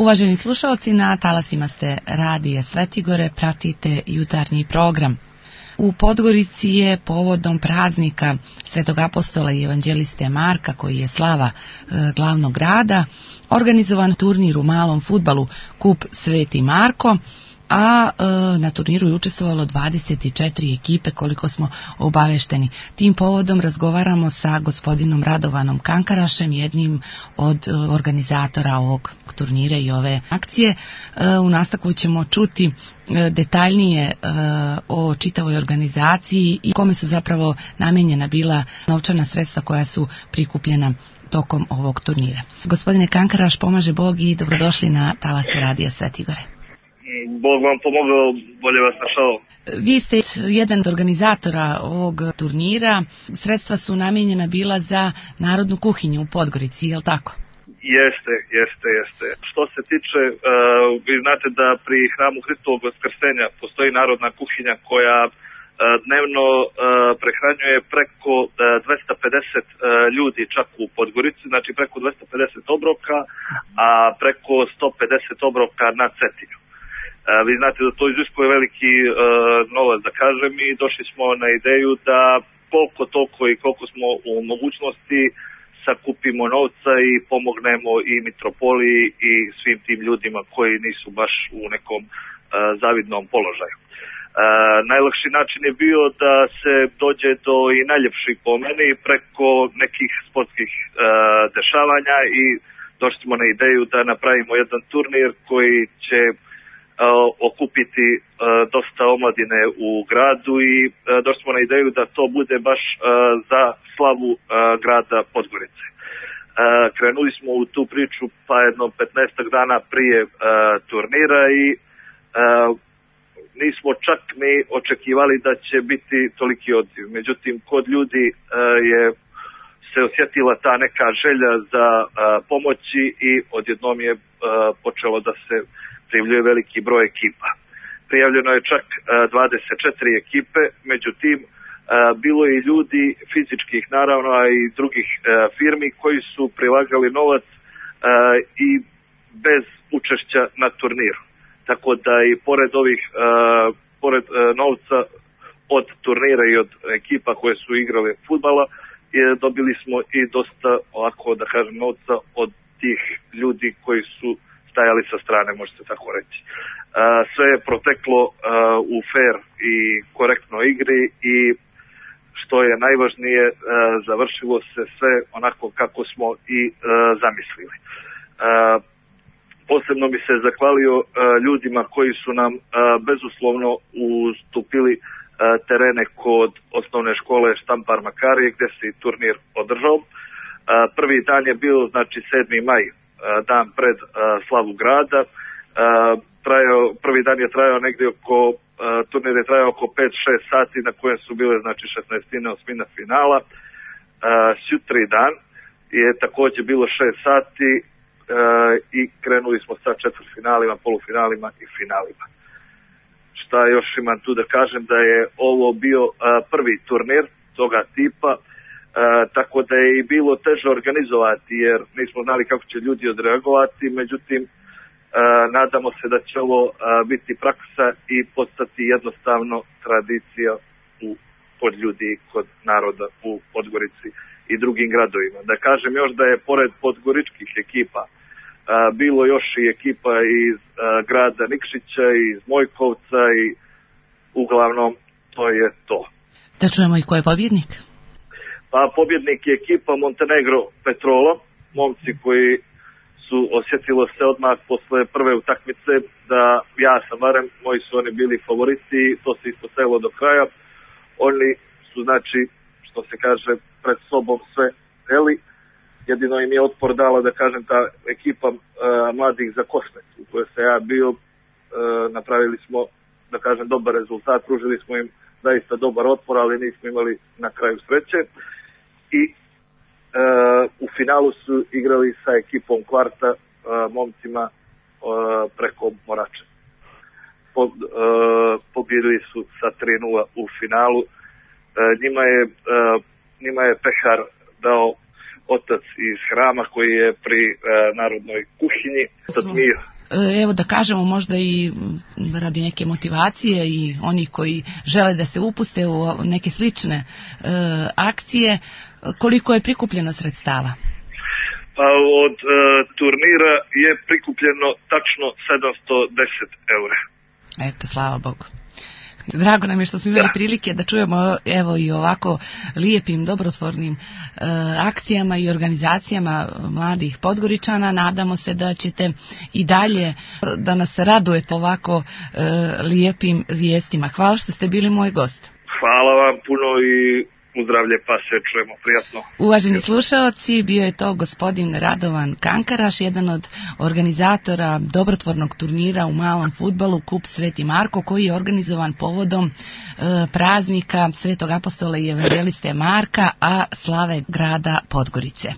Uvaženi slušalci, na talasima ste Radija Svetigore, pratite jutarnji program. U Podgorici je povodom praznika Svetog apostola i evanđeliste Marka, koji je slava glavnog grada, organizovan turnir u malom fudbalu Kup Sveti Marko, a na turniru je učestvovalo 24 ekipe, koliko smo obavešteni. Tim povodom razgovaramo sa gospodinom Radovanom Kankarašem, jednim od organizatora ovog turnira i ove akcije. U nastavku ćemo čuti detaljnije o čitavoj organizaciji i kome su zapravo namenjena bila novčana sredstva koja su prikupljena tokom ovog turnira. Gospodine Kankaraš, pomaže Bog i dobrodošli na talase Radija Svetigore. Bog vam pomogao, bolje vas našao. Vi ste jedan od organizatora ovog turnira. Sredstva su namijenjena bila za narodnu kuhinju u Podgorici, je li tako? Jeste. Što se tiče, vi znate da pri hramu Hristovog Vaskrsenja postoji narodna kuhinja koja dnevno prehranjuje preko 250 ljudi čak u Podgorici, znači preko 250 obroka, a preko 150 obroka na Cetinju. Vi znate da to iziskuje veliki novac, da kažem, i došli smo na ideju da koliko toliko i koliko smo u mogućnosti sakupimo novca i pomognemo i mitropoliji i svim tim ljudima koji nisu baš u nekom zavidnom položaju. Najlakši način je bio da se dođe do i najljepših po meni preko nekih sportskih dešavanja i došli smo na ideju da napravimo jedan turnir koji će okupiti dosta omladine u gradu i došli smo na ideju da to bude baš za slavu grada Podgorice. Krenuli smo u tu priču pa jedno 15 dana prije turnira i nismo čak ni očekivali da će biti toliki odziv. Međutim, kod ljudi je se osjetila ta neka želja za pomoći i odjednom je počelo da se prijavljuje veliki broj ekipa. Prijavljeno je čak 24 ekipe, međutim bilo je i ljudi fizičkih naravno, a i drugih firmi koji su prilagali novac i bez učešća na turniru. Tako da i pored novca od turnira i od ekipa koje su igrale fudbala, dobili smo i dosta, ovako da kažem, novca od tih ljudi koji su stajali sa strane, može se tako reći. Sve je proteklo u fair i korektnoj igri i što je najvažnije, završilo se sve onako kako smo i zamislili. Posebno bi se zahvalio ljudima koji su nam bezuslovno ustupili terene kod osnovne škole Štampar Makarije gdje se i turnir održao. Prvi dan je bio, znači 7. maj, dan pred slavu grada. Prvi dan je trajao negdje turnir je trajao oko 5-6 sati na kojem su bile znači 16. osmina finala. Sutri dan je također bilo 6 sati i krenuli smo sa četvrtfinalima, polufinalima i finalima. Šta još imam tu da kažem, da je ovo bio prvi turnir toga tipa, tako da je i bilo teže organizovati jer nismo znali kako će ljudi odreagovati, međutim nadamo se da će ovo biti praksa i postati jednostavno tradicija kod ljudi, kod naroda u Podgorici i drugim gradovima. Da kažem još da je pored podgoričkih ekipa bilo još i ekipa iz grada Nikšića, iz Mojkovca i uglavnom to je to. Da čujemo i ko je pobjednik? Pa pobjednik je ekipa Montenegro Petrola, momci koji su osjetilo se odmah posle prve utakmice da ja sam barem, moji su oni bili favoriti i to se ispostavilo do kraja. Oni su znači, što se kaže, pred sobom sve heli. Jedino im je otpor dala, da kažem, ta ekipa mladih za Kosmet u kojoj se ja bio. Napravili smo, da kažem, dobar rezultat, pružili smo im zaista dobar otpor, ali nismo imali na kraju sreće. I u finalu su igrali sa ekipom Kvarta, momcima preko Morače. Pobjedili su sa 3-0 u finalu. Njima je pehar dao otac iz hrama koji je pri narodnoj kuhinji. Evo da kažemo možda i radi neke motivacije i oni koji žele da se upuste u neke slične akcije, koliko je prikupljeno sredstava? Pa od turnira je prikupljeno tačno 710 eura. Eto, slava Bogu. Drago nam je što smo imali prilike da čujemo evo i ovako lijepim, dobrotvornim akcijama i organizacijama mladih Podgoričana. Nadamo se da ćete i dalje da nas radujete ovako lijepim vijestima. Hvala što ste bili moj gost. Hvala vam puno i uzdravlje, pa se čujemo prijatno. Uvaženi slušaoci, bio je to gospodin Radovan Kankaraš, jedan od organizatora dobrotvornog turnira u malom fudbalu Kup Sveti Marko, koji je organizovan povodom praznika Svetog apostola i evanđeliste Marka, a slave grada Podgorice.